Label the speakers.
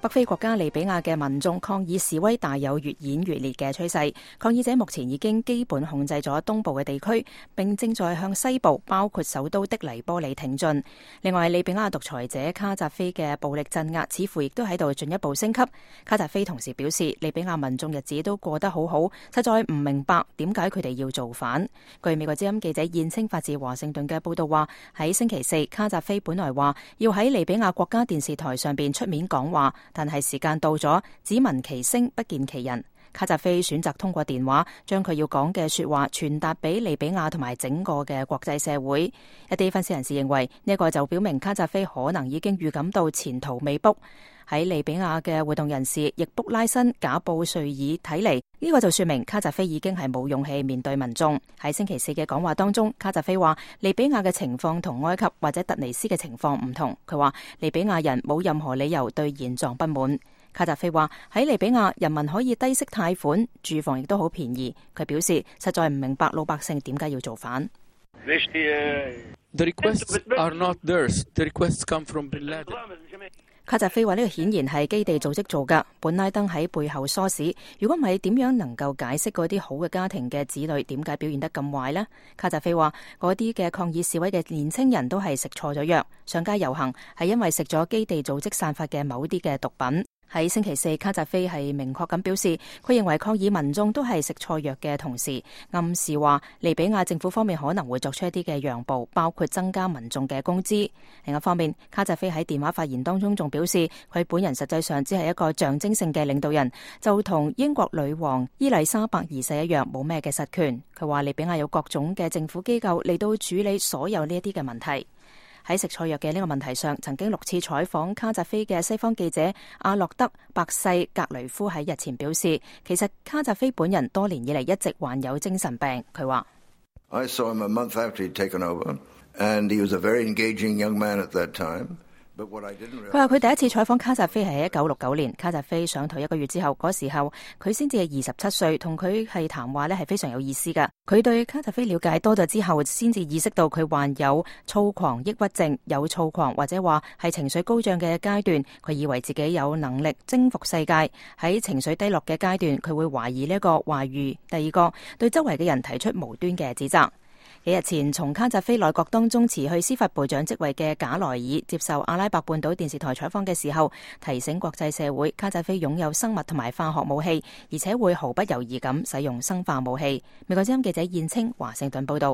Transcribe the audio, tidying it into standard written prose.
Speaker 1: 北非國家利比亞嘅民眾抗議示威大有越演越烈嘅趨勢，抗議者目前已經基本控制咗東部嘅地區，並正在向西部，包括首都的黎波里挺進。另外，利比亞獨裁者卡扎菲嘅暴力鎮壓似乎亦都喺度進一步升級。卡扎菲同時表示，利比亞民眾日子都過得好好，實在唔明白點解佢哋要造反。據美國之音記者燕青發自華盛頓嘅報道話，喺星期四，卡扎菲本來話要喺利比亞國家電視台上邊出面講話，但係時間到咗，只聞其聲不見其人。卡扎菲選擇通過電話將佢要講嘅說話傳達俾利比亞同埋整個嘅國際社會。一啲分析人士認為呢個就表明卡扎菲可能已經預感到前途未卜。喺利比亞嘅活動人士易卜拉辛賈布瑞爾睇嚟，呢個就說明卡扎菲已經係冇勇氣面對民眾。喺星期四嘅講話當中，卡扎菲話利比亞嘅情況同埃及或者突尼斯嘅情況唔同。佢話利比亞人冇任何理由對現狀不滿。卡扎菲話喺利比亞人民可以低息貸款，住房亦都好便宜。佢表示實在唔明白老百姓點解要造反。
Speaker 2: The requests are not theirs. The requests come from Bin Laden.
Speaker 1: 卡扎菲話呢個顯然係基地組織做㗎，本拉登喺背後唆使。如果唔係，點樣能夠解釋嗰啲好嘅家庭嘅子女點解表現得咁壞呢？卡扎菲話嗰啲嘅抗議示威嘅年輕人都係食錯咗藥，上街遊行係因為食咗基地組織散發嘅某啲嘅毒品。喺星期四，卡扎菲係明確咁表示，佢認為抗議民眾都係食錯藥嘅同時，暗示話利比亞政府方面可能會作出一啲嘅讓步，包括增加民眾嘅工資。另一方面，卡扎菲喺電話發言當中仲表示，佢本人實際上只係一個象徵性嘅領導人，就同英國女王伊麗莎白二世一樣，冇咩嘅實權。佢話利比亞有各種嘅政府機構嚟到處理所有呢一啲嘅問題。喺食錯藥嘅呢個問題上，曾經6次採訪卡扎菲嘅西方記者阿洛德·白世格雷夫喺日前表示，其實卡扎菲本人多年以嚟一直患有精神病。佢話
Speaker 3: I saw him a month after he'd taken over, and he was a very engaging young man at that time.
Speaker 1: 佢話佢第一次採訪卡扎菲係喺1969年，卡扎菲上台1個月之後，嗰時候佢先至係27歲，同佢係談話呢係非常有意思噶。佢對卡扎菲了解多咗之後，先至意識到佢患有躁狂抑鬱症，有躁狂或者話係情緒高漲嘅階段。佢以為自己有能力征服世界，喺情緒低落嘅階段，佢會懷疑呢一個話語。第二個，對周圍嘅人提出無端嘅指責。幾日前，從卡扎菲內閣當中辭去司法部長職位嘅賈萊爾接受阿拉伯半島電視台採訪嘅時候，提醒國際社會，卡扎菲擁有生物同埋化學武器，而且會毫不猶豫咁使用生化武器。美國之音記者燕青華盛頓報道。